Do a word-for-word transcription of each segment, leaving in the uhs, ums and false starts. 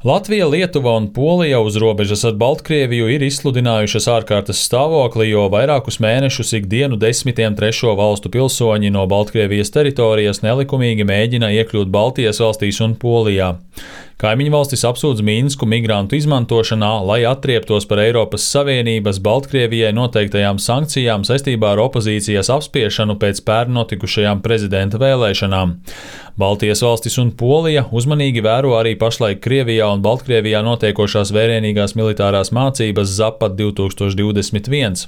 Latvija, Lietuva un Polija uz robežas ar Baltkrieviju ir izsludinājušas ārkārtas stāvokli, jo vairākus mēnešus ikdienu desmitiem trešo valstu pilsoņi no Baltkrievijas teritorijas nelikumīgi mēģina iekļūt Baltijas valstīs un Polijā. Kaimiņu valstis apsūdz Minsku migrantu izmantošanā, lai atrieptos par Eiropas Savienības Baltkrievijai noteiktajām sankcijām saistībā ar opozīcijas apspiešanu pēc pērn notikušajām prezidenta vēlēšanām. Baltijas valstis un Polija uzmanīgi vēro arī pašlaik Krievijā un Baltkrievijā notiekošās vērienīgās militārās mācības Zapad divtūkstoš divdesmit viens.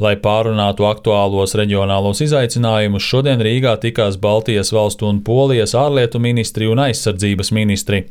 Lai pārunātu aktuālos reģionālos izaicinājumus, šodien Rīgā tikās Baltijas valstu un Polijas ārlietu ministri un aizsardzības ministri.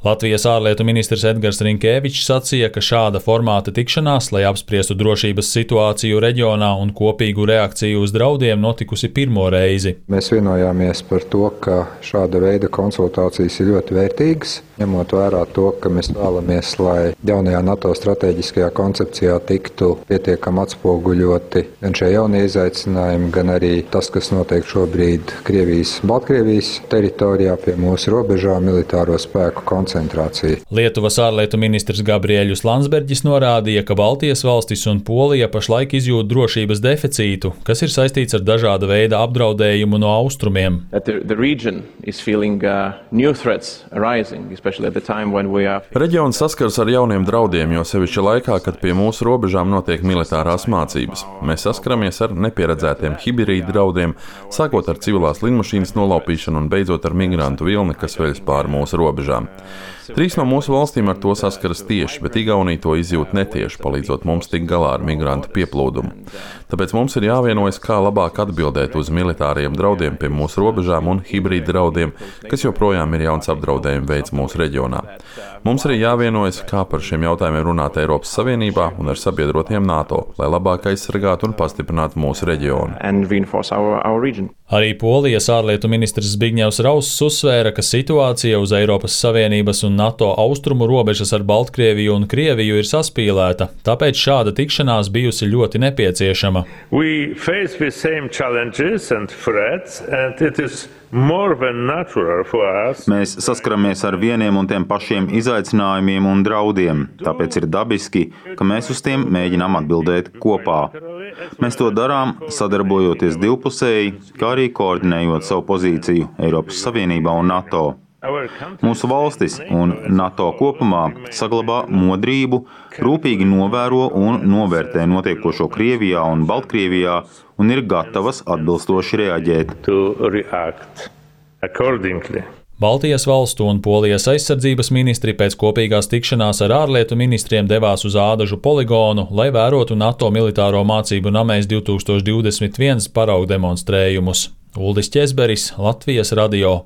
Latvijas ārlietu ministrs Edgars Rinkēvičs sacīja, ka šāda formāta tikšanās, lai apspriestu drošības situāciju reģionā un kopīgu reakciju uz draudiem, notikusi pirmo reizi. Mēs vienojāmies par to, ka šāda veida konsultācijas ir ļoti vērtīgas, ņemot vērā to, ka mēs vēlamies, lai jaunajā NATO strateģiskajā koncepcijā tiktu pietiekami atspoguļoti gan šie jaunie izaicinājumi, gan arī tas, kas notiek šobrīd Krievijas, Baltkrievijas teritorijā pie mūsu robežām militāro spēku koncentrācija. Lietuvas ārlietu ministrs Gabriēļus Landsbergis norādīja, ka Baltijas valstis un Polija pašlaik izjūt drošības deficītu, kas ir saistīts ar dažāda veida apdraudējumu no austrumiem. Reģions saskars ar jauniem draudiem, jo sevišķi laikā, kad pie mūsu robežām notiek militārās mācības. Mēs saskaramies ar nepieredzētiem hibrīdu draudiem, sākot ar civilās lidmašīnas nolaupīšanu un beidzot ar migrantu vilni, kas veļas pāri mūsu robežām. Trīs no mūsu valstīm ar to saskaras tieši, bet Igaunija to izjūt netieši, palīdzot mums tikt galā ar migrantu pieplūdumu. Tāpēc mums ir jāvienojas, kā labāk atbildēt uz militāriem draudiem pie mūsu robežām un hibrīdu draudiem, kas joprojām ir jauns apdraudējuma veids mūsu reģionā. Mums arī jāvienojas, kā par šiem jautājumiem runāt Eiropas Savienībā un ar sabiedrotiem NATO, lai labāk aizsargātu un pastiprinātu mūsu reģionu. Arī Polijas ārlietu ministrs Zbigņevs Rauss uzsvēra, ka situācija uz Eiropas Savienības un NATO austrumu robežas ar Baltkrieviju un Krieviju ir saspīlēta, tāpēc šāda tikšanās bijusi ļoti nepieciešama. Mēs saskaramies ar vieniem un tiem pašiem izaicinājumiem un draudiem, tāpēc ir dabiski, ka mēs uz tiem mēģinām atbildēt kopā. Mēs to darām, sadarbojoties divpusēji, kā arī koordinējot savu pozīciju Eiropas Savienībā un NATO. Mūsu valstis un NATO kopumā saglabā modrību, rūpīgi novēro un novērtē notiekošo Krievijā un Baltkrievijā un ir gatavas atbilstoši reaģēt. Baltijas valstu un Polijas aizsardzības ministri pēc kopīgās tikšanās ar ārlietu ministriem devās uz Ādažu poligonu, lai vērotu NATO militāro mācību namēs divtūkstoš divdesmit viens paraugu demonstrējumus. Uldis Ķezberis, Latvijas radio.